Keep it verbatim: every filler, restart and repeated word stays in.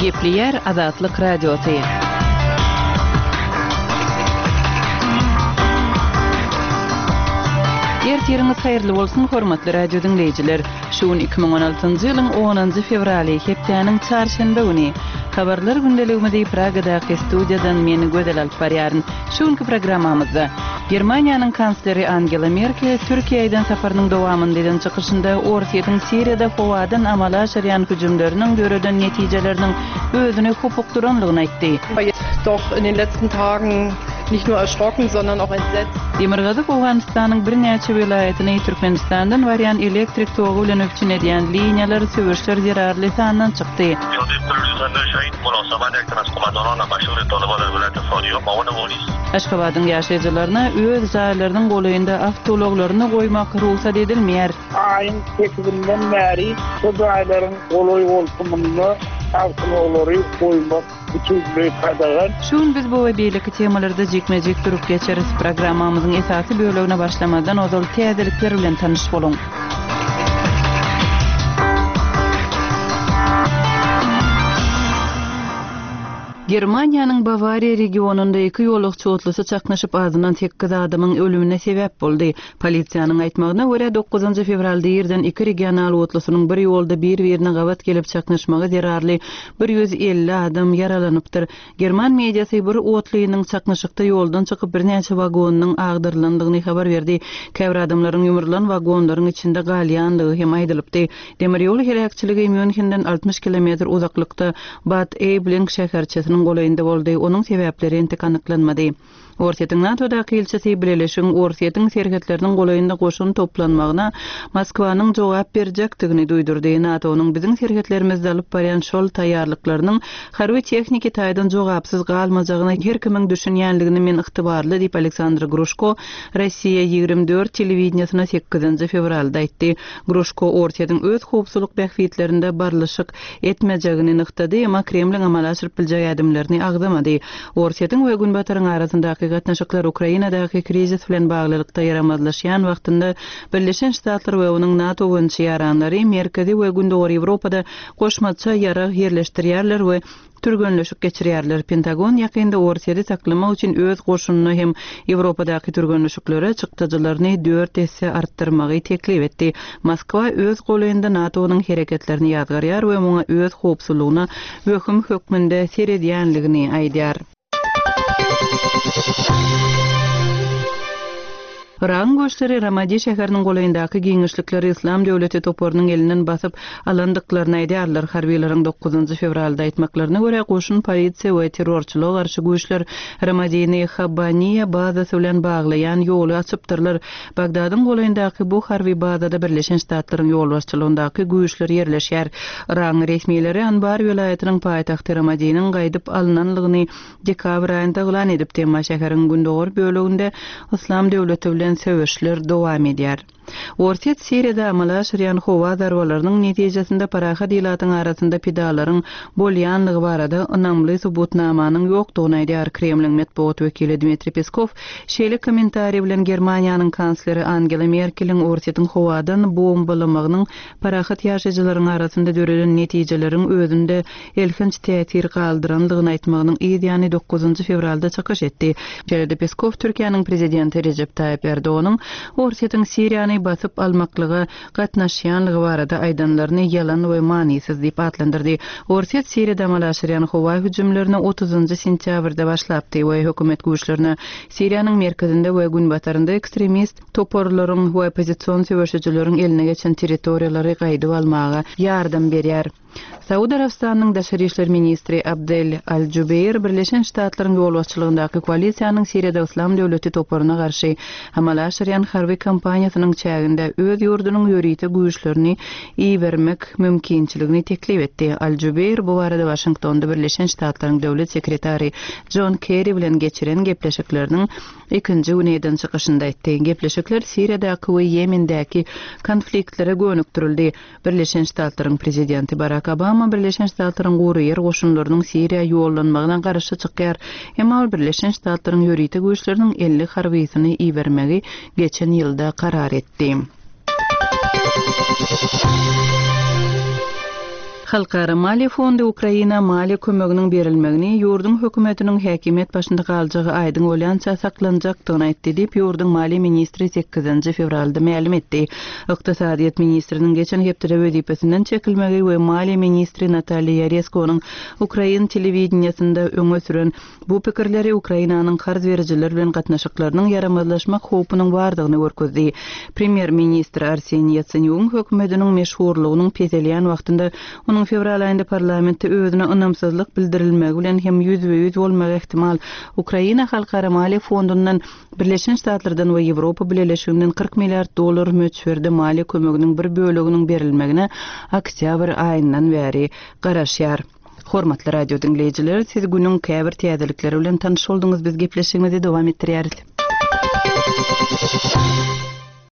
Gepleýär Azatlyk Radiosy. Ertiriňiz haýyrly bolsun, hormatly radio diňleýjiler! Şu gün iki müň on altynjy ýylyň onunjy fewraly, hepdäniň çarşenbe güni. Habarlar gündeligimizi Pragadaky studiýadan men Gözel alyp barýaryn. Şu günki programmamyzda Germaniýanyň kansleri Angela Merkel Türkiýä eden saparynyň dowamynda eden çykyşynda Orsýetiň Siriýada howadan amala aşyrýan hüjümleriniň döreden netijeleriniň özüni hopukdyranlygyny aýtdy. Doch in den letzten Tagen nicht nur erschrocken, sondern auch entsetzt. Demirgazyk Owganystanyň birnäçe welaýatyny Türkmenistandan barýan elektrik togy bilen üpjün edýän liniýalar söweşler zerarly sandan çykdy. Aşgabadyň ýaşaýjylaryna öz jaýlarynyň golaýynda awtoulaglaryny goýmak rugsat edilmeýär. Aýyň sekizinden bäri şu jaýlaryň golaý-goltumynda awtoulaglary goýmak bütünleý gadagan. Şu gün biz bu we beýleki temalarda jikme-jik durup geçeris. Programmamyzyň esasy bölegine başlamazdan ozal täzelikler bilen tanyş boluň. Germaniýanyň Bawariýa regionynda iki ýolagçy otlusy çaknyşyp, azyndan sekiz adamyň ölümine sebäp boldy. Polisiýanyň aýtmagyna görä, dokuzynjy fewralda irden iki regional otlusynyň bir ýolda bir-birine gabat gelip çaknyşmagy zerarly bir ýüz elli adam ýaralanypdyr. German mediasy bir otlynyň çaknyşykda ýoldan çykyp birnäçe wagonynyň agdarylandygyny habar berdi. Käbir adamlaryň ýumrulan wagonlaryň içinde galýandygy hem aýdylypdy. Demir ýol heläkçiligi Münhenden altmyş kilometr uzaklykda Bad Aibling şäherçesiniň golaýynda boldy. Onuň sebäpleri entek anyklanmady. Orsýetiň NATO-daky ilçisi Bileleşigiň Orsýetiň serhetleriniň golaýynda goşun toplanmagyna Moskwanyň jogap berjekdigini duýdurdy. NATO-nyň biziň serhetlerimizde alyp barýan şol taýýarlyklarynyň harby tehniki taýdan jogapsyz galmajagyna her kimiň düşünýänligini men ygtybarly diýip Aleksandr Gruşko Rossiýa ýigrimi dört telewideniýesine sekizinji fewralda aýtdy. Gruşko Orsýetiň öz howpsuzlyk bähbitlerinde barlyşyk etmejegini nygtady, emma Kremliň amala aşyryp biljek ädimlerini agzamady. Orsýetiň we Günbataryň arasyndaky gatnaşyklar Ukrainadaky krizis bilen baglylykda ýaramazlaşýan wagtynda Birleşen Ştatlar we onuň NATO boýunça ýaranlary Merkezi we Gündogar Ýewropada goşmaça ýarag ýerleşdirýärler we türgenleşik geçirýärler. Pentagon ýakynda Orsýeti saklamak üçin öz goşunyna hem Ýewropadaky türgenleşiklere çykdajylaryny dört esse artdyrmagy teklip etdi. Moskwa öz golaýynda NATO-nyň hereketlerini ýazgarýar we muňa öz howpsuzlygyna wehim hökmünde seredýänligini aýdýar. Yragyň güýçleri Ramadi şäheriniň golaýyndaky giňişlikleri Islam döwleti toparynyň elinden basyp alandyklaryny aýdýarlar. Harbiýlaryň dokuzynjy fewralda aýtmaklaryna görä, goşun polisiýa we terrorçylyga garşy güýçler Ramadini Habbaniýa bazasy bilen baglaýan ýoly açypdyrlar. Bagdadyň golaýyndaky bu harby bazada Birleşen Ştatlaryň ýolbaşçylygyndaky güýçler ýerleşýär. Yragyň resmileri Anbar welaýatynyň paýtagty Ramadiniň gaýdyp alynanlygyny dekabr aýynda yglan edipdi, emma şäheriň gündogar böleginde Islam döwleti bilen söweşler dowam edýär. Orsýet Siriýada amala aşyrýan howa zarbalarynyň netijesinde parahat ilatyň arasynda pidalaryň bolýanlygy barada ynamly subutnamanyň ýokdugyny aýdýar. Kremliň metbugat wekili Dmitriý Peskow şeýle kommentariý bilen Germaniýanyň kansleri Angela Merkeliň Orsýetiň howadan bombalamagynyň parahat ýaşaýjylaryň arasynda döreden netijeleriň özünde elhenç täsir galdyrandygyny aýtmagynyň yz ýany dokuzynjy fewralda çykyş etdi. Şeýle-de Peskow Türkiýäniň prezidenti Rejep Taýyp Erdoganyň Orsýetiň Siriýany basyp almaklyga gatnaşýanlygy barada aýdanlaryny ýalan we manysyz diýip atlandyrdy. Orsýet Siriýada amala aşyrýan howa hüjümlerini otuzynjy sentýabrda başlapdy we hökümet güýçlerine Siriýanyň merkezinde we günbatarynda ekstremist toparlaryň we oppozision söweşijileriň eline geçen territoriýalary gaýdyp almaga ýardam berýär. Saud Arabystanyň daşary işler ministri Abdel Al-Jubeir Birleşen Ştatlaryň ýolbaşçylygyndaky koalisiýanyň Siriýada Islam döwleti toparyna garşy amala aşyrýan harby kampaniýasynyň çäginde öz ýurdunyň ýörite güýçlerini ibermek mümkinçiligini teklip etdi. Al-Jubeir bu barada Waşingtonda Birleşen Ştatlaryň döwlet sekretary John Kerry bilen geçiren gepleşikleriniň ikinji güni eden çykyşynda aýtdy. Gepleşikler Siriýadaky we Ýemendäki konfliktlere gönükdirildi. Birleşen Ştatlaryň prezidenti Barack Obama Birleşen Ştatlaryň gury ýer goşunlarynyň Siriýa ýollanmagyna garşy çykýar. Emma ol Birleşen Ştatlaryň ýörite güýçleriniň elli harbysyny ibermegi geçen ýylda karar etdi. Halkara maliýe fondy Ukraina maliýe kömeginiň berilmegini ýurduň hökümetiniň häkimiýet başynda galjagy aýdyň bolýança saklanjakdygyny aýtdy diýip, ýurduň maliýe ministri sekizinji fewralda mälim etdi. Ykdysadyýet ministriniň geçen hepdede wezipesinden çekilmegi we maliýe ministri Nataliýa Ýareskonyň ukrain telewideniýesinde öňe süren bu pikirleri Ukrainanyň karz berijiler bilen gatnaşyklarynyň ýaramazlaşmak howpunyň bardygyny görkezdi. Premýer-ministr Arseniý Ýatsenýugyň hökümetiniň meşhurlygynyň peselýän wagtynda onuň fewral aýynda parlamentde özüne ynamsyzlyk bildirilmegi bilen hem ýüzbe-ýüz bolmagy ähtimal. Ukraina Halkara maliýe fondundan, Birleşen Ştatlardan we Ýewropa Bileleşiginden kyrk milliard dollar möçberde maliýe kömeginiň bir böleginiň berilmegine oktýabr aýyndan bäri garaşýar. Hormatly radio diňleýjiler, siz günüň käbir täzelikleri bilen tanyş bolduňyz, biz gepleşigimizi dowam etdirýäris.